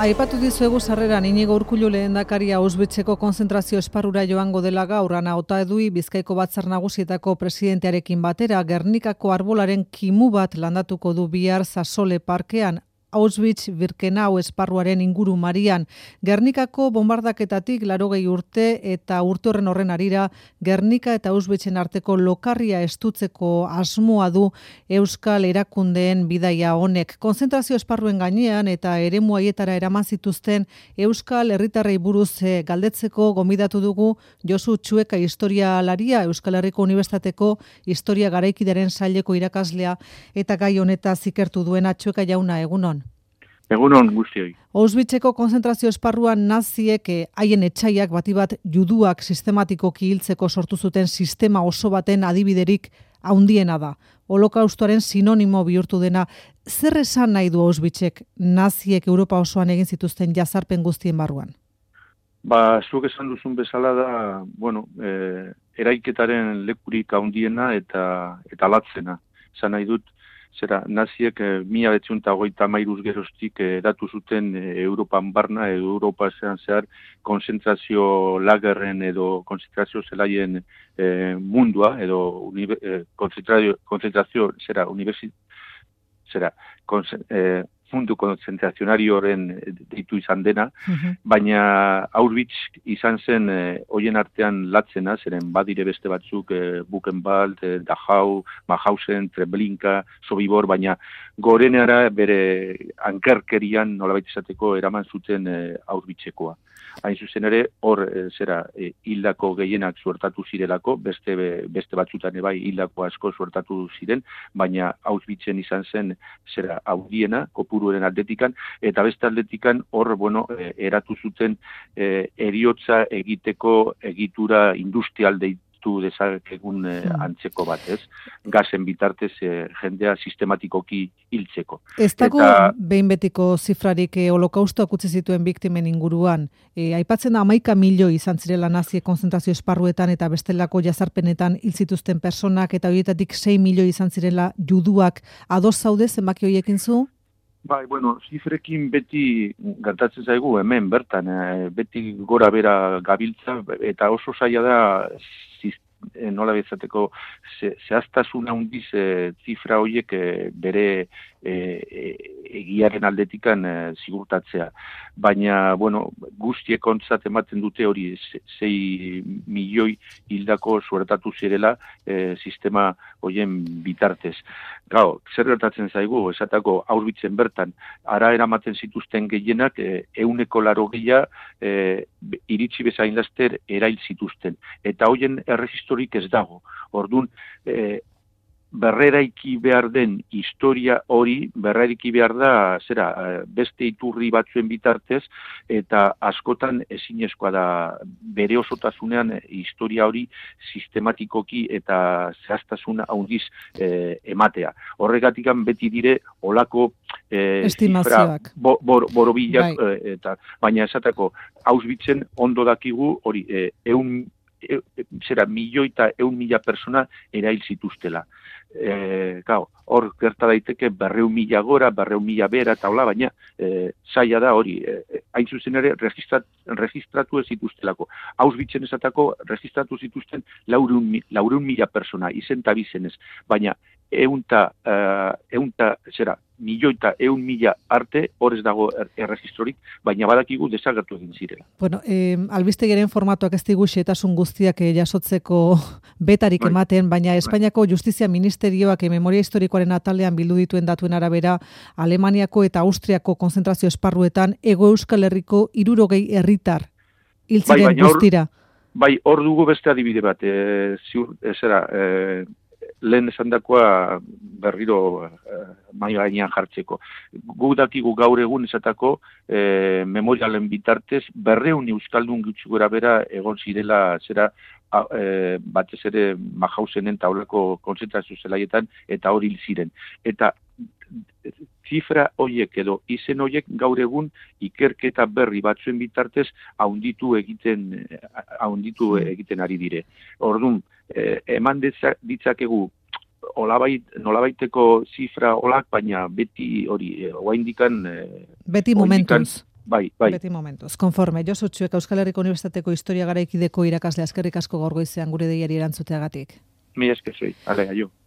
Aipatu dizuegu sarreran Inigo Urkullu lehendakaria Auschwitzeko konzentrazio esparrura joango dela gaur Ana Otaedui Bizkaiko Batzar Nagusietako presidentearekin batera Gernikako arbolaren kimu bat landatuko du bihar Sasole parkean. Auschwitz-Birkenau esparruaren inguru marian. Gernikako bombardaketatik 80 urte eta urte horren harira Gernika eta Auschwitzen arteko lokarria estutzeko asmoa du Euskal erakundeen bidaia honek. Konzentrazio esparruen gainean eta eremu haietara eraman zituzten Euskal herritarrei buruz galdetzeko gonbidatu dugu Josu Txueka historialaria, Euskal Herriko Unibertsitateko historia garaikideren saileko irakaslea eta gai honetaz ikertu duena. Txueka jauna, egunon. Egunon guztioi. Auschwitzeko konzentrazio esparruan naziek haien etsaiak bati bat juduak sistematikoki hiltzeko sortu zuten sistema oso baten adibiderik handiena da. Holokaustoaren sinonimo bihurtu dena. Zer esan nahi du Auschwitzek naziek Europa osoan egin zituzten jazarpen guztien barruan? Zuk esan duzun bezala da, eraiketaren lekurik handiena eta latzena. Esan nahi dut, naziek 1933 geroztik datu zuten Europan barna edo Europa zehar konzentrazio lagerren edo konzentrazio zelaien mundua edo konzentrazio mundu konzentrazionarioren deitu izan dena, baina Auschwitz izan zen hoien artean latzena, zeren badire beste batzuk Buchenwald, Dachau, Mauthausen, Treblinka, Sobibor, baina gorenera bere ankerkerian nolabait esateko eraman zuten Auschwitzekoa. Hain zuzen ere, hor hildako gehienak suertatu zirelako, beste batzutan bai hildako asko suertatu ziren, baina Auschwitzen izan zen handiena, kopuruaren atletikan, eta beste atletikan hor, eratu zuten heriotza egiteko egitura industrial deitu dezakegun antzeko bat, ez? Gazen bitartez jendea sistematikoki hiltzeko. Ez dago behin betiko zifrarik holokaustoak utzi zituen biktimen inguruan. Aipatzen da 11 milioi izan zirela naziek konzentrazio esparruetan eta bestelako jazarpenetan hil zituzten personak eta horietatik 6 milioi izan zirela juduak. Ados zaude zenbaki horiekin zu? Zifrekin beti gertatzen zaigu hemen bertan, beti gora bera gabiltza eta oso zaila da nola bezateko zehaztasun handiz zifra horiek bere egiaren aldetikan zigurtatzea. Baina, guztiek ontzat ematen dute hori 6 milioi hildako suertatu zirela sistema horien bitartez. Gau, zer gertatzen zaigu, esatako Auschwitzen bertan, ara eramaten zituzten gehienak 180 iritsi bezain laster erail zituzten. Eta horien erregistorik ez dago. Orduan, berreraiki behar den historia hori, berreraiki behar da, beste iturri batzuen bitartez, eta askotan ezinezkoa da bere osotasunean historia hori sistematikoki eta zehaztasun handiz ematea. Horregatikan beti dire olako estimazioak. Borobilak, baina esateko Auschwitzen ondo dakigu hori milioi eta 100.000 persona erail zituztela. Hor gerta daiteke 200.000 gora, 200.000 bera eta hola, baina zaila da hori, hain zuzen ere registratu ez zituztelako. Auschwitzen esatako registratu zituzten 400.000 persona, izen eta bizenez, baina milioi eta 100.000 arte hor ez dago erregistrorik, baina badakigu desagertu egin zirela. Albistegaren formatuak ez digu xehetasun guztiak jasotzeko betarik ematen, baina Espainiako Justizia Ministerioak memoria historikoaren atalean bildu dituen datuen arabera, Alemaniako eta Austriako konzentrazio esparruetan Hego Euskal Herriko 60 herritar hil ziren guztira. Hor dugu beste adibide bat, lehen esandakoa berriro mahai gainean jartzeko. Guk dakigu gaur egun esatako memorialen bitartez 200 euskaldun gutxi gora bera egon zirela batez ere Mauhausenen taulako konzentrazio zelaietan eta hori hil ziren. Eta zifra horiek edo izen horiek gaur egun ikerketa berri batzuen bitartez haunditu egiten ari dire. Orduan, eman ditzakegu nolabaiteko zifra olak, baina beti hori, oraindikan beti momentuz. Bai. Beti momentuz. Konforme, Josu Txuek Euskal Herriko Unibertsitateko Historia Garaikideko irakasle, eskerrik asko gaur goizean gure deiari erantzuteagatik. Mi esker zui, ale, aio.